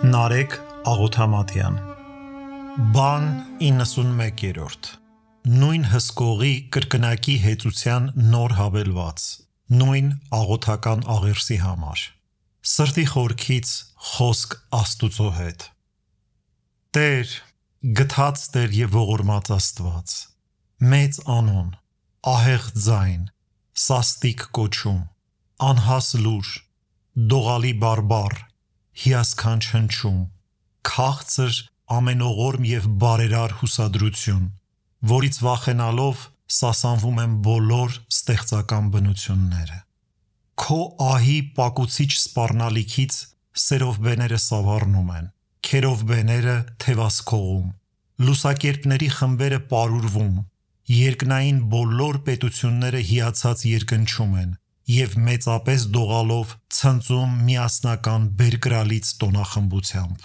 Նարեկ Աղոթամատյան Բան 91-րդ Նույն հսկողի կրկնակի հեծության նոր հավելված Նույն աղոթական աղերսի համար Սրտի խորքից խոսք Աստուծո հետ Տեր, գթած Տեր և ողորմած Աստված Մեծ անուն, ահեղ ձայն, սաստիկ կոչում, անհաս լուր, դողալի բարբառ, հիասքանչ հնչում, քաղցր ամենողորմ և բարերար հուսադրություն, որից վախենալով սասանվում են բոլոր ստեղծական բնությունները։ Քո ահի պակուցիչ սպառնալիքից սերովբեները սավառնում են, քերովբեները թևասքողում, լուսակերպների խմբերը պարուրվում, երկնային բոլոր պետությունները հիացած երկնչում են և մեծապես դողալով ցնծում միասնական բերկրալից տոնախմբությամբ։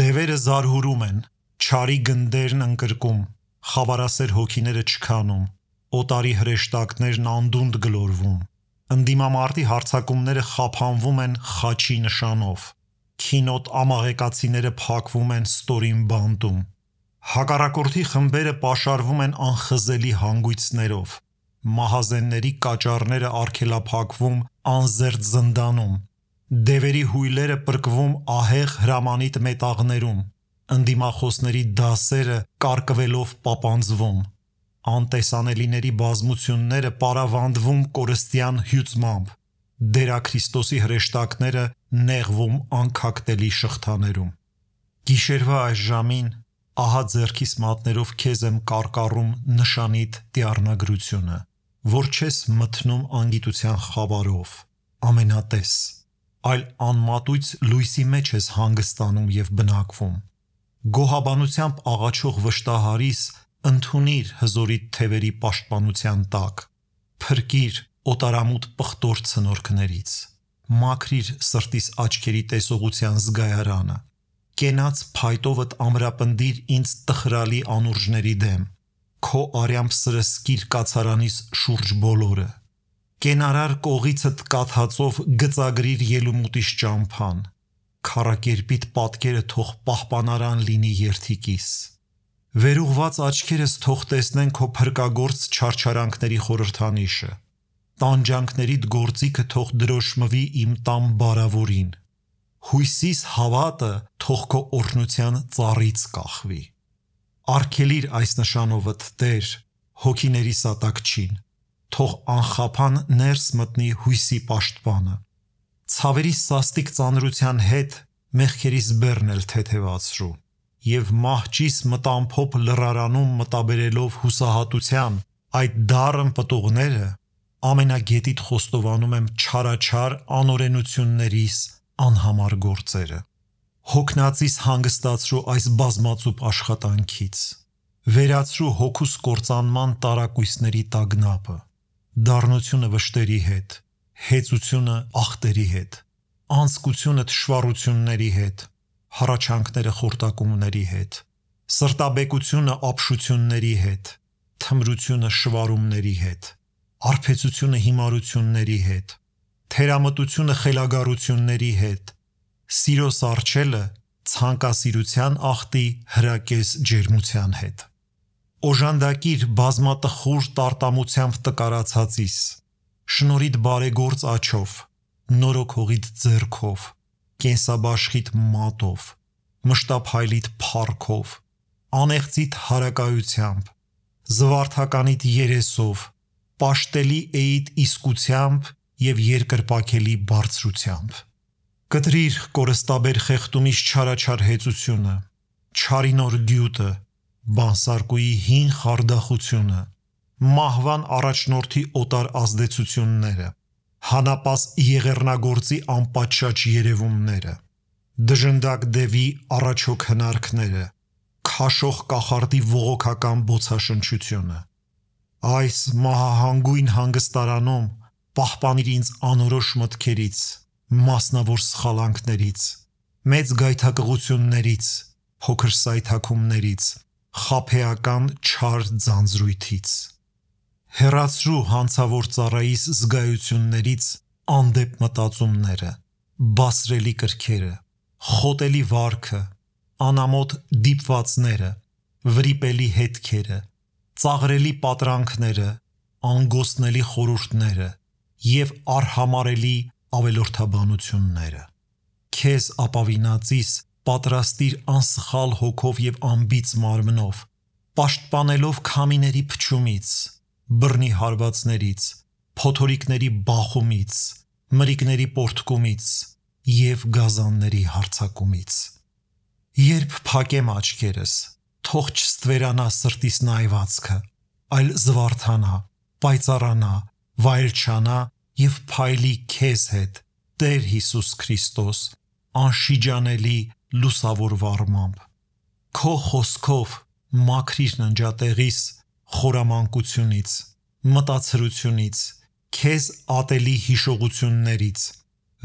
Դևերը զարհուրում են, չարի գնդերն ընկրկում, խավարասեր հոգիները չքանում, օտարի հրեշտակներն անդունդ գլորվում, ընդդիմամարտի հարձակումները խափանվում են խաչի նշանով, քինոտ ամաղեկացիները փակվում են ստորին բանտում, հակառակորդի խմբերը պաշարվում են անխզելի հանգույցներով, մահազենների կաճառները արգելափակվում անզերծ զնդանում, դևերի հույլերը պրկվում ահեղ հրամանիտ մետաղներում, ընդդիմախոսների դասերը կարկվելով պապանձվում, անտեսանելիների բազմությունները պարավանդվում կորստյան հյուծմամբ, դերաքրիստոսի հրեշտակները նեղվում անքակտելի շղթաներում։ Գիշերվա այս ժամին ահա ձեռքիս մատներով քեզ եմ կարկառում նշանիդ տիառնագրությունը, որ չես մթնում անգիտության խավարով, ամենատես, այլ անմատույց լույսի մեջ ես հանգստանում և բնակվում։ Գոհաբանությամբ աղաչող վշտահարիս ընդունիր հզորիդ թևերի պաշտպանության տակ, փրկիր օտարամուտ պղտոր ցնորքներից, մաքրիր սրտիս աչքերի տեսողության զգայարանը, կենաց փայտովդ ամրապնդիր ինձ տխրալի անուրջների դեմ, քո արյամբ սրսկիր կացարանիս շուրջ բոլորը, կենարար կողիցդ կաթածով գծագրիր ելումուտիս ճամփան, քառակերպիտ պատկերը թող պահպանարան լինի երդիկիս, վերուղված աչքերս թող տեսնեն քո փրկագործ չարչարանքների խորհրդանիշը, տանջանքներիդ գործիքը թող դրոշմվի իմ տան բարավորին, հույսիս հավատը թող քո օրհնության ծառից կախվի։ Արգելիր այս նշանովդ Տեր, հոգիների սատակչին, թող անխափան ներս մտնի հույսի պաշտպանը, ցավերի սաստիկ ծանրության հետ մեղքերիս բեռն էլ թեթևացրու, և մահճիս մտամփոփ լռարանում մտաբերելով հուսահատության այդ դառն պտուղները ամենագետիդ խոստովանում եմ չարաչար անօրենություններիս անհամար գործերը։ Հոգնածիս հանգստացրու այս բազմածուփ աշխատանքից, վերացրու հոգուս կործանման տարակույսների տագնապը, դառնությունը վշտերի հետ, հեծությունը ախտերի հետ, անձկությունը թշվառությունների հետ, հառաչանքները խորտակումների հետ, սրտաբեկությունը ապշությունների հետ, թմրությունը շվարումների հետ, արբեցությունը հիմարությունների հետ, թերամտությունը խելագարությունների հետ, սիրո սառչելը ցանկասիրության ախտի հրակես ջերմության հետ։ Օժանդակիր բազմատխուր տարտամությամբ տկարացածիս, շնորհիդ բարեգործ աջով, նորոգողիդ ձեռքով, կենսաբաշխիդ մատով, մշտափայլիդ փառքով, անեղծիդ հարակայությամբ, զվարթականիդ երեսով, պաշտելի էիդ իսկությամբ և երկրպագելի բարձրությամբ։ Կտրիր կորստաբեր խեղդումից չարաչար հեծությունը, չարի նոր գյուտը, բանսարկուի հին խարդախությունը, մահվան առաջնորդի օտար ազդեցությունները, հանապաս եղեռնագործի անպատշաճ երևումները, դժնդակ դևի առաջոք հնարքները, քաշող կախարդի ողոքական բոցաշնչությունը։ Այս մահահանգույն հանգստարանում պահպանիր ինձ անորոշ մտքերից, մասնավոր սխալանքներից, մեծ գայթակղություններից, փոքր սայթաքումներից, խաբեական չար ձանձրույթից։ Հեռացրու հանցավոր ծառայիս զգայություններից անդեպ մտածումները, բասրելի կրքերը, խոտելի վարքը, անամոթ դիպվածները, վրիպելի հետքերը, ծաղրելի պատրանքները, անգոստնելի խորհուրդները և արհամարելի ավելորդաբանությունները։ Քեզ ապավինածիս պատրաստիր անսխալ հոգով և անբիծ մարմնով, պաշտպանելով քամիների փչումից, բռնի հարվածներից, փոթորիկների բախումից, մրիկների պոռթկումից և գազանների հարձակումից։ Երբ փակեմ աչքերս, թող չստվերանա սրտիս նայվածքը, այլ զվարթանա, պայծառանա, վայելչանա և փայլի քեզ հետ, Տեր Հիսուս Քրիստոս, անշիջանելի լուսավոր վառմամբ։ Քո խոսքով մաքրիր ննջատեղիս խորամանկությունից, մտածրությունից, քեզ ատելի հիշողություններից,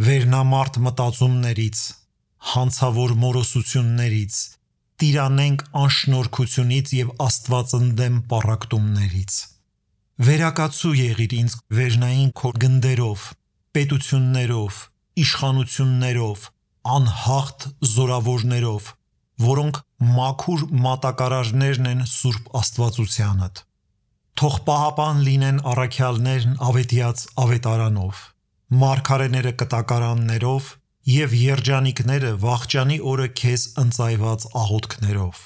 վերնամարդ մտածումներից, հանցավոր մորոսություններից, տիրանենք անշնորհքությունից և աստվածընդեմ պառակտումներից։ Վերակացու եղիր ինձ վերնային քո գնդերով, պետություններով, իշխանություններով, անհաղթ զորավորներով, որոնք մաքուր մատակարարներն են Սուրբ Աստվածությանդ։ Թող պահապան լինեն առաքյալներն ավետյաց ավետարանով, մարգարեները կտակարաններով և երջանիկները վախճանի օրը քեզ ընծայված աղոթքներով։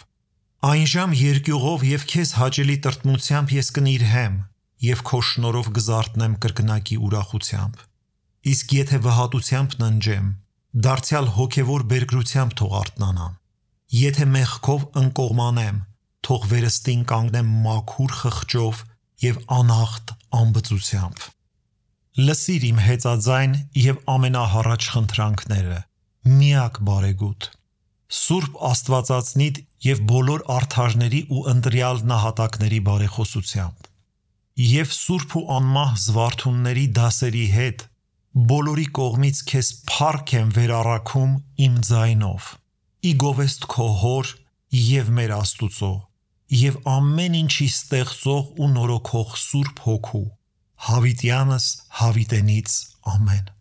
Այնժամ երկյուղով և քեզ հաճելի տրտմությամբ ես կնիրհեմ և քո շնորհով կզարթնեմ կրկնակի ուրախությամբ։ Իսկ եթե վհատությամբ ննջեմ, դարձյալ հոգևոր բերգրությամբ թող արթնանամ։ Եթե մեղքով ընկողմանեմ, թող վերստին կանգնեմ մաքուր խղճով և անհաղթ անբծությամբ։ Լսիր իմ հեծաձայն և ամենահառաջ խնդրանքները, միակ բարեգութ, Սուրբ Աստվածածնիդ և բոլոր արդարների ու ընտրյալ նահատակների բարեխոսությամբ։ Եվ սուրբ ու անմահ զվարթունների դասերի հետ բոլորի կողմից քեզ փառք եմ վերառաքում իմ ձայնով, ի գովեստ քո Հոր և մեր Աստուծո և ամեն ինչի ստեղծող ու նորոգող Սուրբ Հոգու, հավիտյանս հավիտենից ամեն։